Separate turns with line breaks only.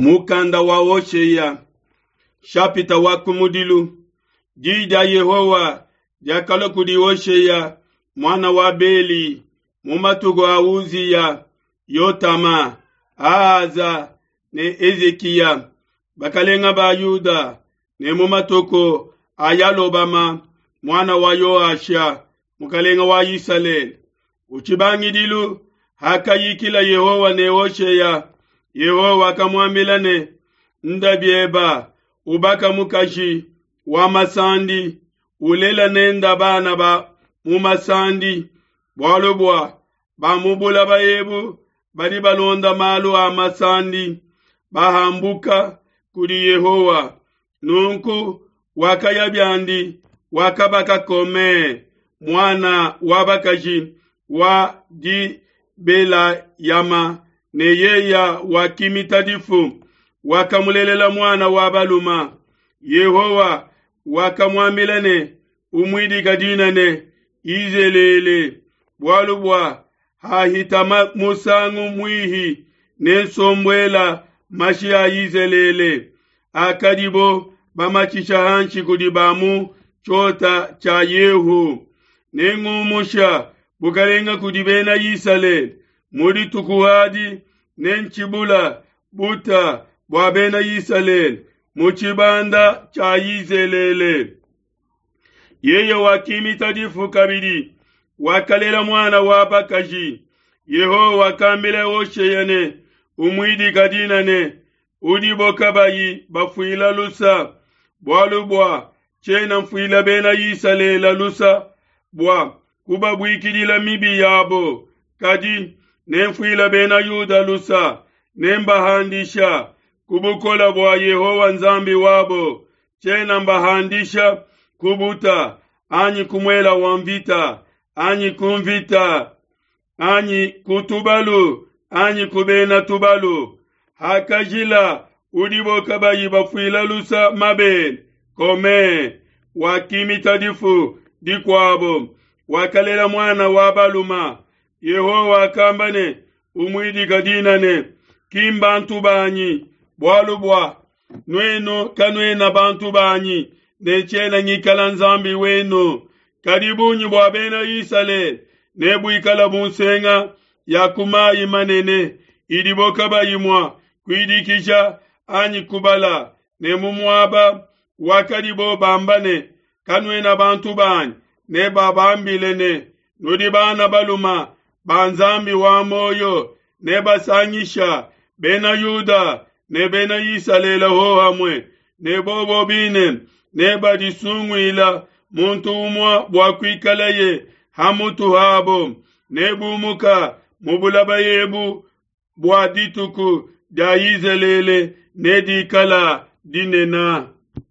Mukanda wa Hoshea, shapita wa kumudilu. Diyi dia Yehowa diakalua kudi Hoshea muana wa Beli mu matuku a Uziya, Yotama, Ahaza ne Hezikiya, bakalenga ba Yuda, ne mu matuku a Yalobama muana wa Yoasha, mukalenga wa Isalele. Ku tshibangidilu hakayikila Yehowa ne Hoshea, Yehowa wakamuambila ne, Nda bieba, ubaka mukaji wa masandi, ulela nenda bana ba mu masandi, bualu bua ba mu bulaba ebu badi balonda malu a masandi, bahambuka kudi Yehowa. Nunku wakaya biandi, wakabaka Kome, muana wa bakaji wa Dibelayama, ne yeya wakimita difu, wakamulelela muana wa baluma. Yehowa wakamuambila ne, Umuidika dina ne, Yizelele, bualu bua hahita musangu muihi nensombuela mashi a Yizelele akadibo bamatshisha hanshi kudi ba mu tshiota tshia Yehu. Nengumusha bukalenga kudi bena Isalele mu dituku adi, nentshibula buta bua bena Isalele mu tshibanda tshia Yizelele. Yeye wakimita difu kabidi, wakalela muana wa bakaji. Yehowa wakambila Hoshea ne, Umuidika dina ne, udibo kabayi bafuila lusa, bualu bua tshiena mfuila bena Isalele lusa bua kubabuikidila mibi yabo, kadi nemfuila bena Yuda lusa, nembahandisha ku bukole bua Yehowa Nzambi wabo. Tshiena mbahandisha ku buta anyi ku muela wa mvita anyi ku mvita anyi ku tubalu anyi ku bena tubalu. Hakajila udibo kabayi bafuila lusa mabele, Kome wakimita difu dikuabo, wakalela muana wa baluma. Yehowa wakamba ne, Umuidika dina ne, Ki mbantu banyi, bualu bua nuenu kanuena bantu banyi, ne tshiena ngikala Nzambi wenu. Kadi bungi bua bena Isalele nebuikala bu nsenga ya ku mayi manene idibo kabayi mua kuidikija anyi kubala, ne mu muaba wakadibo bamba ne, Kanuena bantu banyi, nebabambile ne, Nudi bana baluma ba Nzambi wa muoyo. Nebasangisha bena Yuda ne bena Isalele hohamue, ne bobo bine nebadisunguila muntu umue bua kuikalaye ha mutu habo. Nebumuka mu bulaba ebu bua dituku dia Yizelele nedikala dinene.